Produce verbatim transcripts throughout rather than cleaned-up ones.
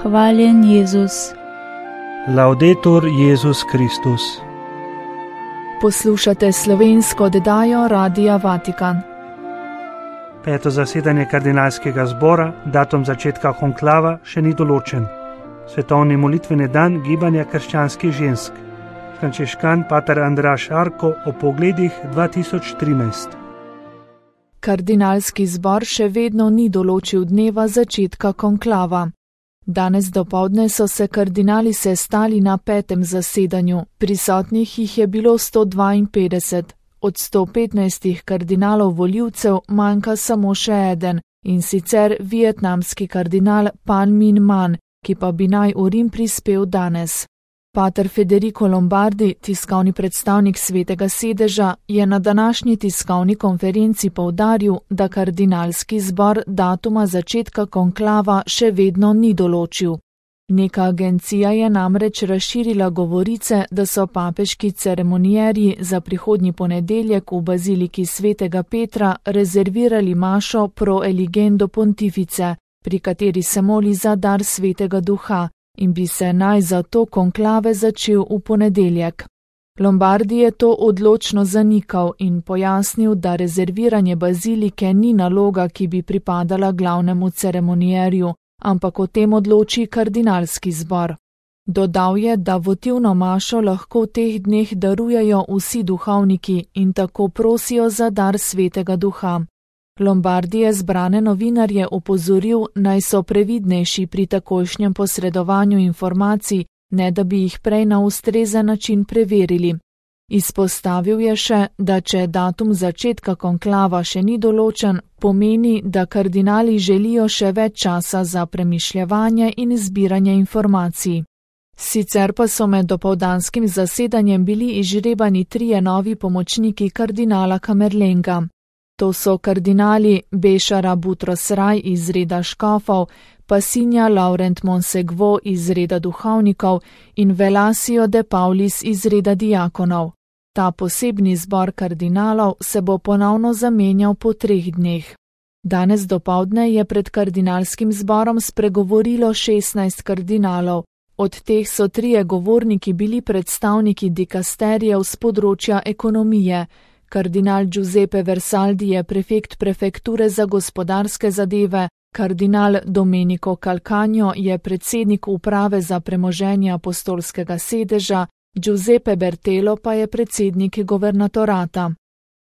Hvaljen Jezus. Laudetur Jezus Kristus. Poslušate slovensko oddajo Radia Vatikan. Peto zasedanje kardinalskega zbora, datum začetka konklava še ni določen. Svetovni molitveni dan gibanja krščanskih žensk. Frančiškan pater Andraž Arko o pogledih dva tisoč trinajst. Kardinalski zbor še vedno ni določil dneva začetka konklava. Danes dopoldne so se kardinali sestali na petem zasedanju, prisotnih jih je bilo sto dvainpetdeset. Od sto petnajstih kardinalov volivcev manjka samo še eden, in sicer vietnamski kardinal Pan Minh Man, ki pa bi naj v Rim prispel danes. Pater Federico Lombardi, tiskovni predstavnik Svetega sedeža, je na današnji tiskovni konferenci poudaril, da kardinalski zbor datuma začetka konklava še vedno ni določil. Neka agencija je namreč razširila govorice, da so papeški ceremonierji za prihodnji ponedeljek v baziliki Svetega Petra rezervirali mašo pro eligendo pontifice, pri kateri se moli za dar Svetega Duha, in bi se naj zato konklave začel v ponedeljek. Lombardi je to odločno zanikal in pojasnil, da rezerviranje bazilike ni naloga, ki bi pripadala glavnemu ceremonierju, ampak o tem odloči kardinalski zbor. Dodal je, da votivno mašo lahko v teh dneh darujejo vsi duhovniki in tako prosijo za dar Svetega Duha. Lombardi je zbrane novinarje opozoril, naj so previdnejši pri takojšnjem posredovanju informacij, ne da bi jih prej na ustrezen način preverili. Izpostavil je še, da če datum začetka konklava še ni določen, pomeni, da kardinali želijo še več časa za premišljevanje in zbiranje informacij. Sicer pa so med dopoldanskim zasedanjem bili izžrebani trije novi pomočniki kardinala Kamerlenga. To so kardinali Bešara Butros Raj iz reda škofov, Pasinja Laurent Monsegvo iz reda duhovnikov in Velasio de Paulis iz reda diakonov. Ta posebni zbor kardinalov se bo ponovno zamenjal po treh dneh. Danes dopoldne je pred kardinalskim zborom spregovorilo šestnajst kardinalov, od teh so trije govorniki bili predstavniki dikasterijev z področja ekonomije. Kardinal Giuseppe Versaldi je prefekt prefekture za gospodarske zadeve, kardinal Domenico Calcagno je predsednik uprave za premoženje apostolskega sedeža, Giuseppe Bertelo pa je predsednik guvernatorata.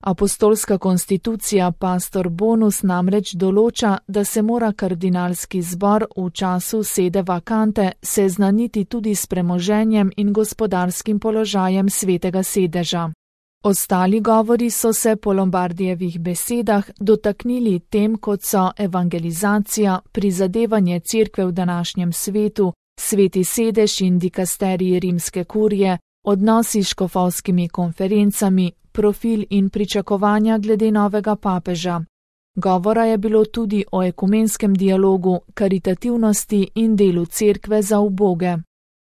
Apostolska konstitucija Pastor Bonus namreč določa, da se mora kardinalski zbor v času sede vakante seznaniti tudi s premoženjem in gospodarskim položajem Svetega sedeža. Ostali govori so se po Lombardijevih besedah dotaknili tem, kot so evangelizacija, prizadevanje cerkve v današnjem svetu, Sveti sedež in dikasteriji rimske kurije, odnosi s škofovskimi konferencami, profil in pričakovanja glede novega papeža. Govora je bilo tudi o ekumenskem dialogu, karitativnosti in delu cerkve za uboge.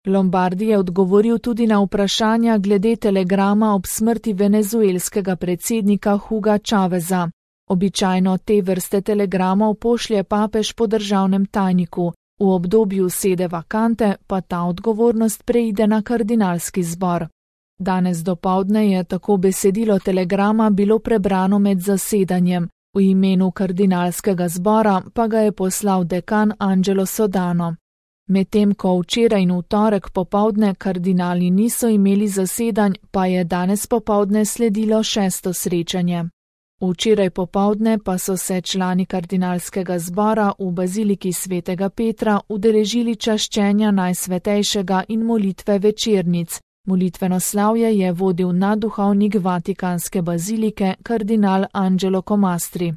Lombardi je odgovoril tudi na vprašanja glede telegrama ob smrti venezuelskega predsednika Huga Chaveza. Običajno te vrste telegramov pošlje papež po državnem tajniku, v obdobju sede vakante pa ta odgovornost preide na kardinalski zbor. Danes dopoldne je tako besedilo telegrama bilo prebrano med zasedanjem, v imenu kardinalskega zbora pa ga je poslal dekan Angelo Sodano. Medtem ko včeraj in v torek popoldne kardinali niso imeli zasedanj, pa je danes popoldne sledilo šesto srečanje. Včeraj popoldne pa so se člani kardinalskega zbora v baziliki Svetega Petra udeležili čaščenja Najsvetejšega in molitve večernic. Molitveno slavje je vodil nadduhovnik Vatikanske bazilike kardinal Angelo Comastri.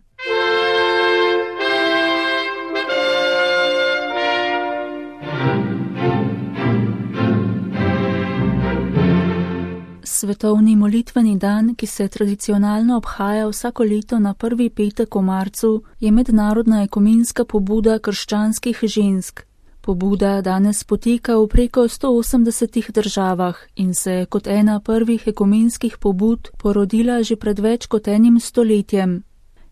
Svetovni molitveni dan, ki se tradicionalno obhaja vsako leto na prvi petek v marcu, je mednarodna ekumenska pobuda krščanskih žensk. Pobuda danes poteka v preko sto osemdesetih državah in se kot ena prvih ekumenskih pobud porodila že pred več kot enim stoletjem.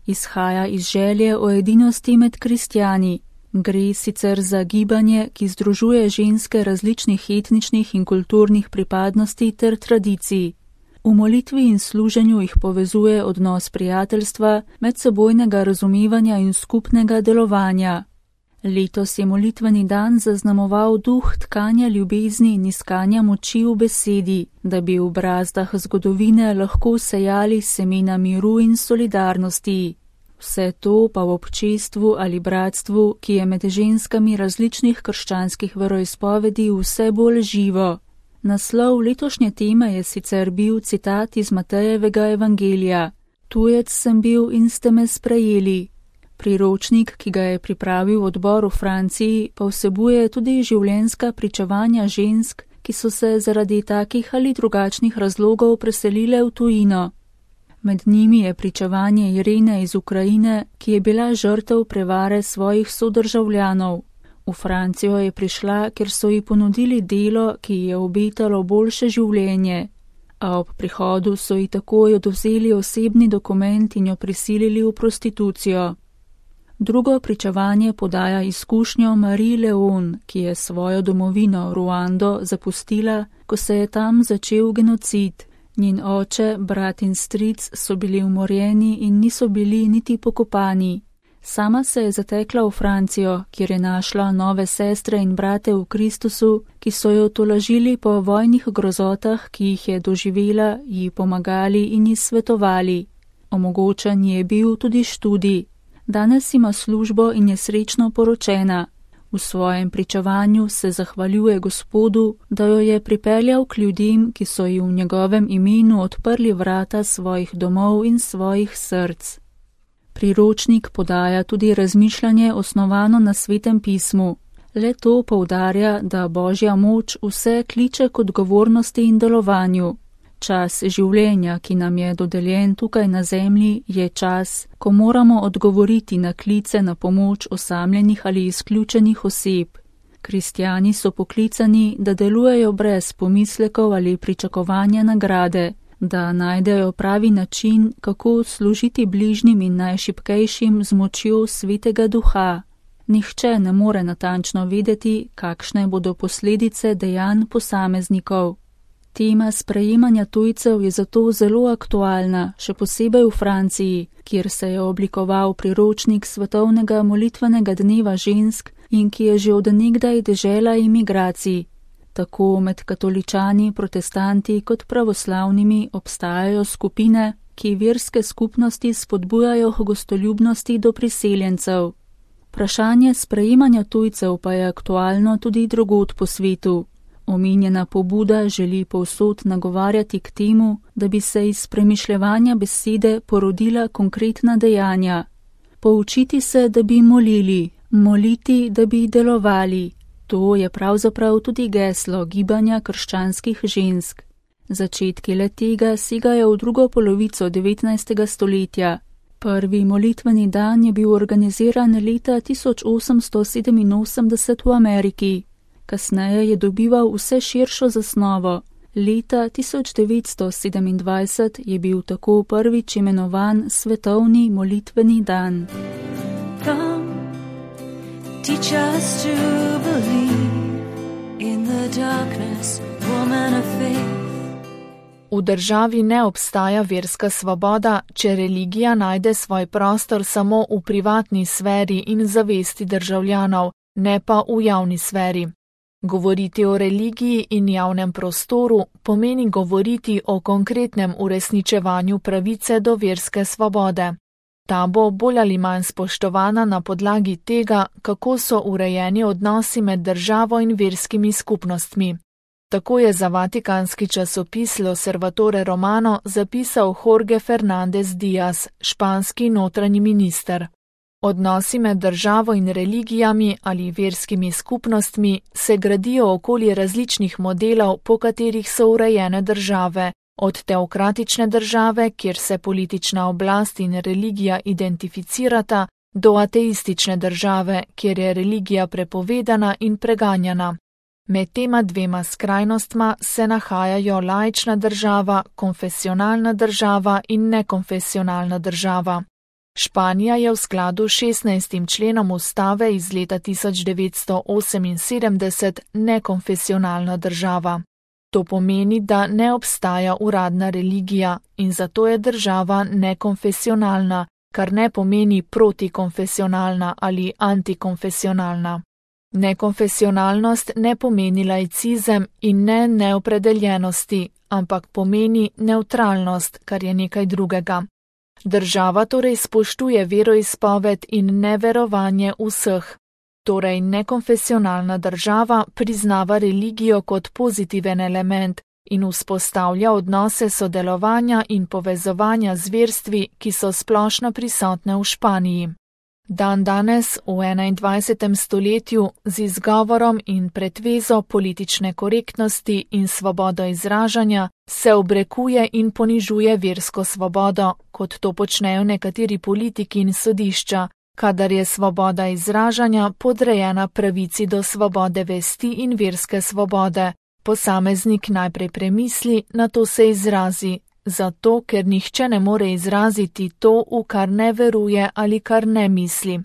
Izhaja iz želje o edinosti med kristjani, Gre sicer za gibanje, ki združuje ženske različnih etničnih in kulturnih pripadnosti ter tradicij. V molitvi in služenju jih povezuje odnos prijateljstva, medsebojnega razumevanja in skupnega delovanja. Letos je molitveni dan zaznamoval duh tkanja ljubezni in iskanja moči v besedi, da bi v brazdah zgodovine lahko sejali semena miru in solidarnosti. Vse to pa v občestvu ali bratstvu, ki je med ženskami različnih krščanskih veroizpovedi vse bolj živo. Naslov letošnje teme je sicer bil citat iz Matejevega evangelija: Tujec sem bil in ste me sprejeli. Priročnik, ki ga je pripravil odbor v Franciji, pa vsebuje tudi življenjska pričevanja žensk, ki so se zaradi takih ali drugačnih razlogov preselile v tujino. Med njimi je pričevanje Irene iz Ukrajine, ki je bila žrtev prevare svojih sodržavljanov. V Francijo je prišla, ker so ji ponudili delo, ki ji je obetalo boljše življenje, a ob prihodu so ji takoj odvzeli osebni dokument in jo prisilili v prostitucijo. Drugo pričevanje podaja izkušnjo Marie Leon, ki je svojo domovino Ruando zapustila, ko se je tam začel genocid. Njen oče, brat in stric so bili umorjeni in niso bili niti pokopani. Sama se je zatekla v Francijo, kjer je našla nove sestre in brate v Kristusu, ki so jo tolažili po vojnih grozotah, ki jih je doživela, ji pomagali in ji svetovali. Omogočen je bil tudi študij. Danes ima službo in je srečno poročena. V svojem pričevanju se zahvaljuje Gospodu, da jo je pripeljal k ljudem, ki so ji v njegovem imenu odprli vrata svojih domov in svojih src. Priročnik podaja tudi razmišljanje osnovano na Svetem pismu. Le to poudarja, da Božja moč vse kliče k odgovornosti in delovanju. Čas življenja, ki nam je dodeljen tukaj na zemlji, je čas, ko moramo odgovoriti na klice na pomoč osamljenih ali izključenih oseb. Kristjani so poklicani, da delujejo brez pomislekov ali pričakovanja nagrade, da najdejo pravi način, kako služiti bližnjim in najšibkejšim z močjo Svetega Duha. Nihče ne more natančno vedeti, kakšne bodo posledice dejanj posameznikov. Tema sprejemanja tujcev je zato zelo aktualna, še posebej v Franciji, kjer se je oblikoval priročnik svetovnega molitvenega dneva žensk in ki je že od nekdaj dežela imigracij. Tako med katoličani, protestanti kot pravoslavnimi obstajajo skupine, ki verske skupnosti spodbujajo k gostoljubnosti do priseljencev. Vprašanje sprejemanja tujcev pa je aktualno tudi drugod po svetu. Omenjena pobuda želi povsod nagovarjati k temu, da bi se iz premišljevanja besede porodila konkretna dejanja. Poučiti se, da bi molili, moliti, da bi delovali. To je pravzaprav tudi geslo gibanja krščanskih žensk. Začetki le tega segajo v drugo polovico devetnajstega stoletja. Prvi molitveni dan je bil organiziran leta tisoč osemsto sedeminosemdeset v Ameriki. Kasneje je dobival vse širšo zasnovo. Leta tisoč devetsto sedemindvajset je bil tako prvič imenovan Svetovni molitveni dan. Come, teach us to believe in the darkness, woman of faith. V državi ne obstaja verska svoboda, če religija najde svoj prostor samo v privatni sferi in zavesti državljanov, ne pa v javni sferi. Govoriti o religiji in javnem prostoru pomeni govoriti o konkretnem uresničevanju pravice do verske svobode. Ta bo bolj ali manj spoštovana na podlagi tega, kako so urejeni odnosi med državo in verskimi skupnostmi. Tako je za vatikanski časopis L'Osservatore Romano zapisal Jorge Fernández Díaz, španski notranji minister. Odnosi med državo in religijami ali verskimi skupnostmi se gradijo okoli različnih modelov, po katerih so urejene države, od teokratične države, kjer se politična oblast in religija identificirata, do ateistične države, kjer je religija prepovedana in preganjana. Med tema dvema skrajnostma se nahajajo laična država, konfesionalna država in nekonfesionalna država. Španija je v skladu s šestnajstim členom ustave iz leta tisoč devetsto oseminsedemdeset nekonfesionalna država. To pomeni, da ne obstaja uradna religija in zato je država nekonfesionalna, kar ne pomeni protikonfesionalna ali antikonfesionalna. Nekonfesionalnost ne pomeni laicizem in ne neopredeljenosti, ampak pomeni neutralnost, kar je nekaj drugega. Država torej spoštuje veroizpoved in neverovanje vseh. Torej nekonfesionalna država priznava religijo kot pozitiven element in vzpostavlja odnose sodelovanja in povezovanja z verstvi, ki so splošno prisotne v Španiji. Dan danes, v enaindvajsetem stoletju, z izgovorom in pretvezo politične korektnosti in svobodo izražanja, se obrekuje in ponižuje versko svobodo, kot to počnejo nekateri politiki in sodišča, kadar je svoboda izražanja podrejena pravici do svobode vesti in verske svobode. Posameznik najprej premisli, nato se izrazi, zato ker nihče ne more izraziti to, v kar ne veruje ali kar ne misli.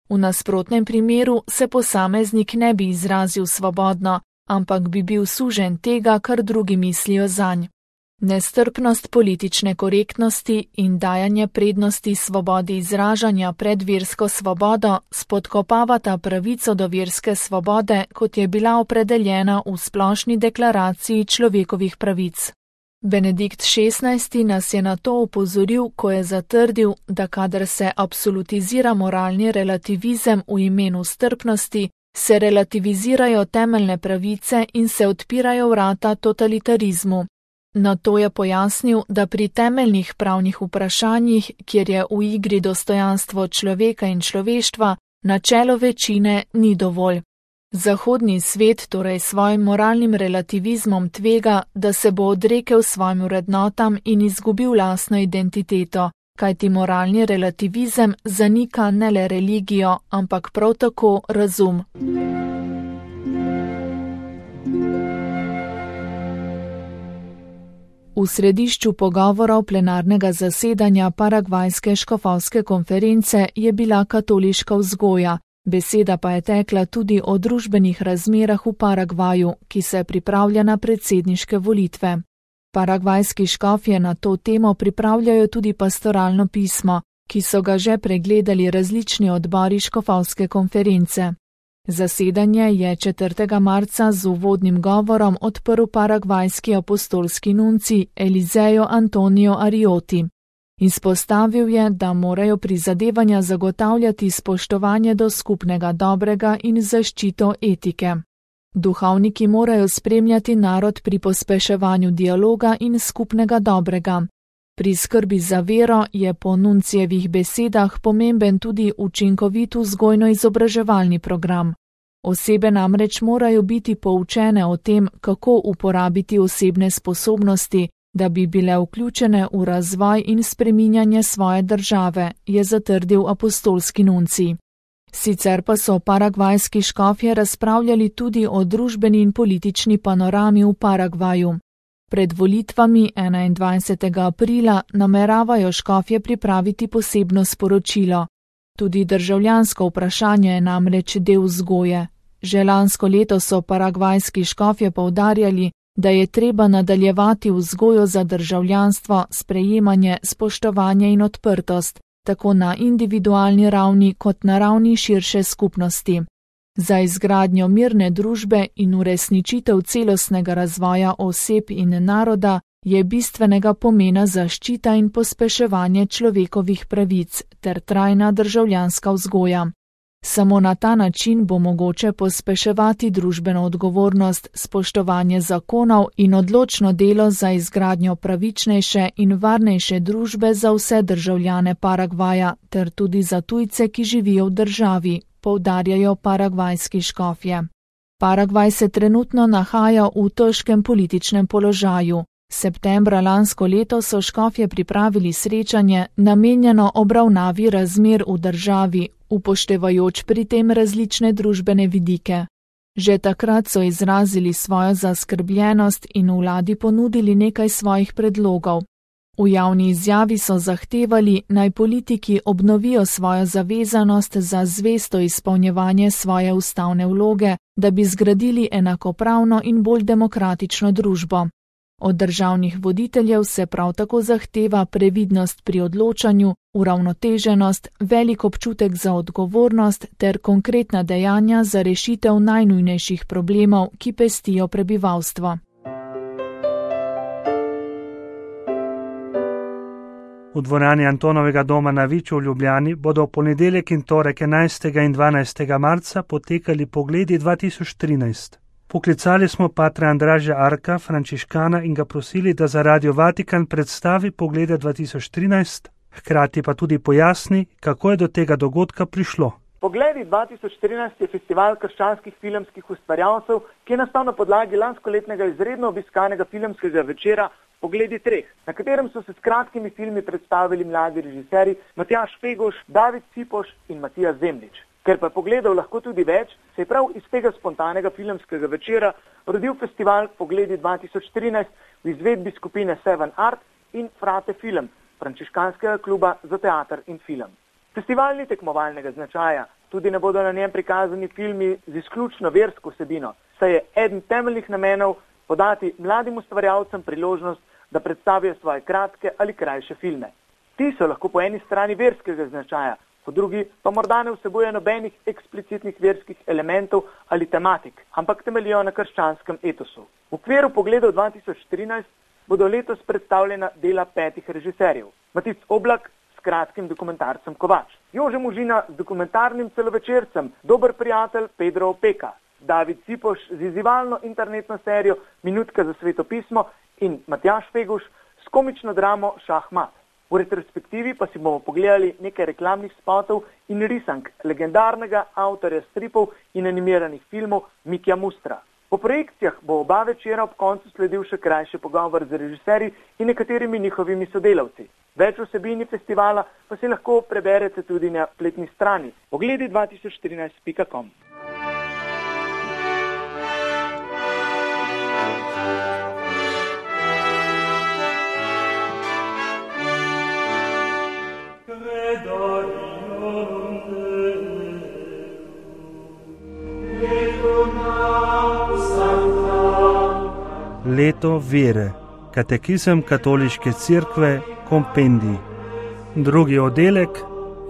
V nasprotnem primeru se posameznik ne bi izrazil svobodno, ampak bi bil sužen tega, kar drugi mislijo zanj. Nestrpnost politične korektnosti in dajanje prednosti svobodi izražanja pred versko svobodo spodkopavata pravico do verske svobode, kot je bila opredeljena v Splošni deklaraciji človekovih pravic. Benedikt šestnajsti nas je na to opozoril, ko je zatrdil, da kadar se absolutizira moralni relativizem v imenu strpnosti, se relativizirajo temeljne pravice in se odpirajo vrata totalitarizmu. Na to je pojasnil, da pri temeljnih pravnih vprašanjih, kjer je v igri dostojanstvo človeka in človeštva, načelo večine ni dovolj. Zahodni svet torej svojim moralnim relativizmom tvega, da se bo odrekel svojim vrednotam in izgubil lastno identiteto, kajti moralni relativizem zanika ne le religijo, ampak prav tako razum. V središču pogovorov plenarnega zasedanja Paragvajske škofovske konference je bila katoliška vzgoja, beseda pa je tekla tudi o družbenih razmerah v Paragvaju, ki se pripravlja na predsedniške volitve. Paragvajski škofje na to temo pripravljajo tudi pastoralno pismo, ki so ga že pregledali različni odbori škofovske konference. Zasedanje je četrtega marca z uvodnim govorom odprl paragvajski apostolski nunci Elizejo Antonio Arioti. Izpostavil je, da morajo prizadevanja zagotavljati spoštovanje do skupnega dobrega in zaščito etike. Duhovniki morajo spremljati narod pri pospeševanju dialoga in skupnega dobrega. Pri skrbi za vero je po nuncijevih besedah pomemben tudi učinkovit vzgojno-izobraževalni program. Osebe namreč morajo biti poučene o tem, kako uporabiti osebne sposobnosti, da bi bile vključene v razvoj in spreminjanje svoje države, je zatrdil apostolski nuncij. Sicer pa so paragvajski škofje razpravljali tudi o družbeni in politični panorami v Paragvaju. Pred volitvami enaindvajsetega aprila nameravajo škofje pripraviti posebno sporočilo. Tudi državljansko vprašanje je namreč del vzgoje. Že lansko leto so paragvajski škofje poudarjali, da je treba nadaljevati vzgojo za državljanstvo, sprejemanje, spoštovanje in odprtost, tako na individualni ravni kot na ravni širše skupnosti. Za izgradnjo mirne družbe in uresničitev celostnega razvoja oseb in naroda je bistvenega pomena zaščita in pospeševanje človekovih pravic ter trajna državljanska vzgoja. Samo na ta način bo mogoče pospeševati družbeno odgovornost, spoštovanje zakonov in odločno delo za izgradnjo pravičnejše in varnejše družbe za vse državljane Paragvaja ter tudi za tujce, ki živijo v državi, poudarjajo paragvajski škofje. Paragvaj se trenutno nahaja v težkem političnem položaju. Septembra lansko leto so škofje pripravili srečanje, namenjeno obravnavi razmer v državi, upoštevajoč pri tem različne družbene vidike. Že takrat so izrazili svojo zaskrbljenost in vladi ponudili nekaj svojih predlogov. V javni izjavi so zahtevali, naj politiki obnovijo svojo zavezanost za zvesto izpolnjevanje svoje ustavne vloge, da bi zgradili enakopravno in bolj demokratično družbo. Od državnih voditeljev se prav tako zahteva previdnost pri odločanju, uravnoteženost, velik občutek za odgovornost ter konkretna dejanja za rešitev najnujnejših problemov, ki pestijo prebivalstvo. V dvorani Antonovega doma na Viču v Ljubljani bodo v ponedeljek in torek enajstega in dvanajstega marca potekali Pogledi dva tisoč trinajst. Poklicali smo patra Andraža Arka, frančiškana, in ga prosili, da za Radio Vatikan predstavi Poglede dva tisoč trinajst, hkrati pa tudi pojasni, kako je do tega dogodka prišlo. Pogledi dva tisoč trinajst je festival krščanskih filmskih ustvarjalcev, ki je nastal na podlagi lanskoletnega izredno obiskanega filmskega večera Pogledi treh, na katerem so se s kratkimi filmi predstavili mladi režiserji Matjaž Feguš, David Cipoš in Matija Zemljič. Ker pa je pogledov lahko tudi več, se je prav iz tega spontanega filmskega večera rodil festival Pogledi dva tisoč trinajst v izvedbi skupine Seven Art in Frate Film, frančiškanskega kluba za teater in film. Festival ni tekmovalnega značaja, tudi ne bodo na njem prikazani filmi z izključno versko vsebino, saj je eden temeljnih namenov podati mladim ustvarjalcem priložnost, da predstavijo svoje kratke ali krajše filme. Ti so lahko po eni strani verskega značaja, po drugi pa morda ne vsebuje nobenih eksplicitnih verskih elementov ali tematik, ampak temeljijo na krščanskem etosu. V okviru Pogledov dva tisoč trinajst bodo letos predstavljena dela petih režiserjev. Matic Oblak s kratkim dokumentarcem Kovač, Jože Možina z dokumentarnim celovečercem Dober prijatelj Pedro Opeka, David Cipoš z izzivalno internetno serijo Minutka za sveto pismo in Matjaž Feguš s komično dramo Šahmat. V retrospektivi pa si bomo pogledali nekaj reklamnih spotov in risank legendarnega avtorja stripov in animiranih filmov Mikija Mustra. Po projekcijah bo oba večera ob koncu sledil še krajši pogovor z režiserji in nekaterimi njihovimi sodelavci. Več vsebini festivala pa si lahko preberete tudi na spletni strani pogledi dva tisoč trinajst pika com. Leto vere, katekizem katoliške cerkve, kompendij. Drugi oddelek,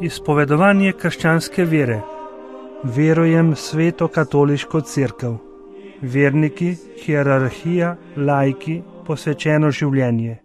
izpovedovanje krščanske vere. Verujem sveto katoliško cerkev. Verniki, hierarhija, laiki, posvečeno življenje.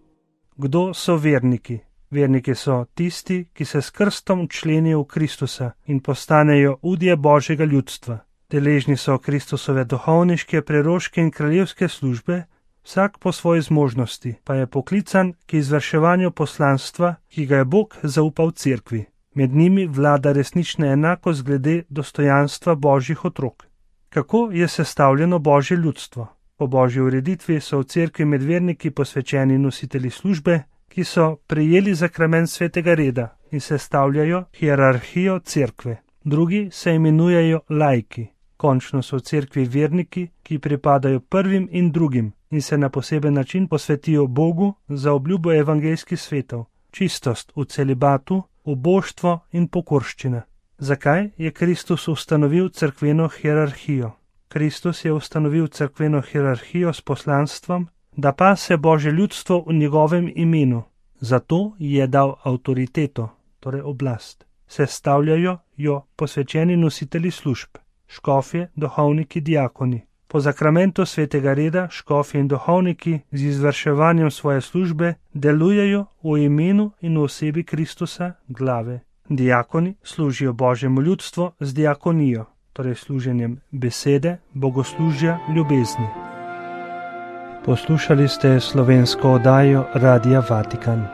Kdo so verniki? Verniki so tisti, ki se s krstom včlenijo v Kristusa in postanejo udje Božjega ljudstva. Deležni so Kristusove duhovniške, preroške in kraljevske službe, vsak po svoji zmožnosti pa je poklican k izvrševanju poslanstva, ki ga je Bog zaupal cerkvi. Med njimi vlada resnična enakost glede dostojanstva Božjih otrok. Kako je sestavljeno Božje ljudstvo? Po Božji ureditvi so v cerkvi med verniki posvečeni nositelji službe, ki so prejeli zakrament svetega reda in sestavljajo hierarhijo cerkve. Drugi se imenujejo laiki. Končno so v cerkvi verniki, ki pripadajo prvim in drugim in se na poseben način posvetijo Bogu za obljubo evangeljskih svetov, čistost v celibatu, uboštvo in pokorščina. Zakaj je Kristus ustanovil cerkveno hierarhijo? Kristus je ustanovil cerkveno hierarhijo s poslanstvom, da pase Božje ljudstvo v njegovem imenu. Zato je dal avtoriteto, torej oblast. Sestavljajo jo posvečeni nositelji služb, škofje, duhovniki, diakoni. Po zakramentu svetega reda škofje in duhovniki z izvrševanjem svoje službe delujejo v imenu in v osebi Kristusa, glave. Diakoni služijo Božjemu ljudstvu z diakonijo, torej služenjem besede, bogoslužja, ljubezni. Poslušali ste slovensko oddajo Radia Vatikan.